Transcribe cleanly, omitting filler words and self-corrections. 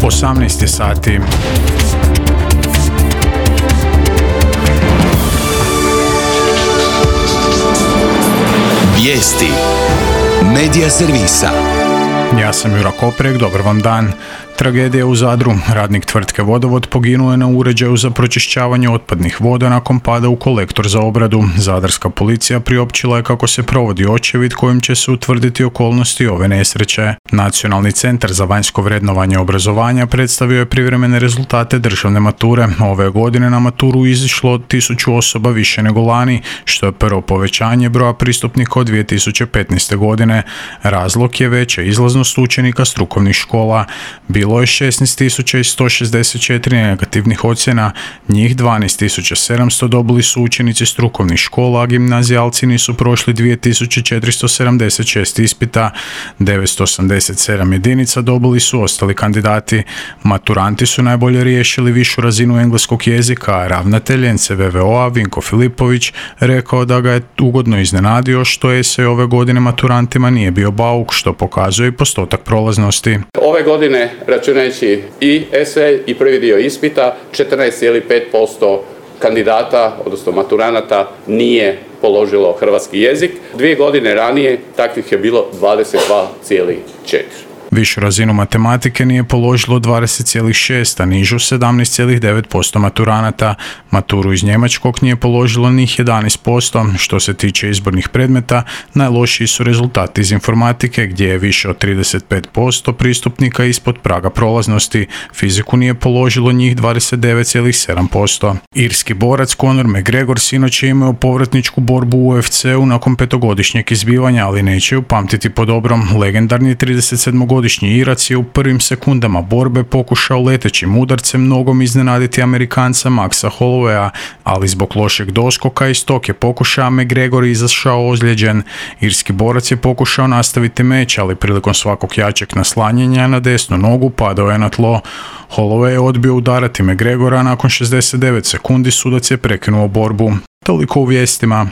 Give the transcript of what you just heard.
18 je sati. Vijesti Medija servisa. Ja sam Jura Koprek, dobar vam dan. Tragedija u Zadru. Radnik tvrtke Vodovod poginuo je na uređaju za pročišćavanje otpadnih voda nakon pada u kolektor za obradu. Zadarska policija priopćila je kako se provodi očevid kojim će se utvrditi okolnosti ove nesreće. Nacionalni centar za vanjsko vrednovanje obrazovanja predstavio je privremene rezultate državne mature. Ove godine na maturu izišlo 1000 osoba više nego lani, što je prvo povećanje broja pristupnika od 2015. godine. Razlog je veća izlaznost učenika strukovnih škola. Bilo je 16.164 negativnih ocjena, njih 12.700 dobili su učenici strukovnih škola, a gimnazijalci nisu prošli 2.476 ispita, 987 jedinica dobili su ostali kandidati. Maturanti su najbolje riješili višu razinu engleskog jezika, a ravnatelj NCVVO-a Vinko Filipović rekao da ga je ugodno iznenadio što esej ove godine maturantima nije bio bauk, što pokazuje i postotak prolaznosti. Ove godine, računajući i esej i prvi dio ispita, 14,5% kandidata, odnosno maturanata, nije položilo hrvatski jezik. 2 godine ranije takvih je bilo 22,4%. Višu razinu matematike nije položilo 20,6, a nižu 17,9% maturanata. Maturu iz njemačkog nije položilo njih 11%. Što se tiče izbornih predmeta, najlošiji su rezultati iz informatike, gdje je više od 35% pristupnika ispod praga prolaznosti. Fiziku nije položilo njih 29,7%. Irski borac Conor McGregor sinoć je imao povratničku borbu u UFC-u nakon 5-godišnjeg izbivanja, ali neće ju pamtiti po dobrom. Legendarni 37-godišnji Irac je u prvim sekundama borbe pokušao letećim udarcem nogom iznenaditi Amerikanca Maxa Hollowaya, ali zbog lošeg doskoka iz tog je pokušaja McGregor izašao ozlijeđen. Irski borac je pokušao nastaviti meč, ali prilikom svakog jačeg naslanjanja na desnu nogu padao je na tlo. Holloway je odbio udarati McGregora, nakon 69 sekundi sudac je prekinuo borbu. Toliko u vijestima.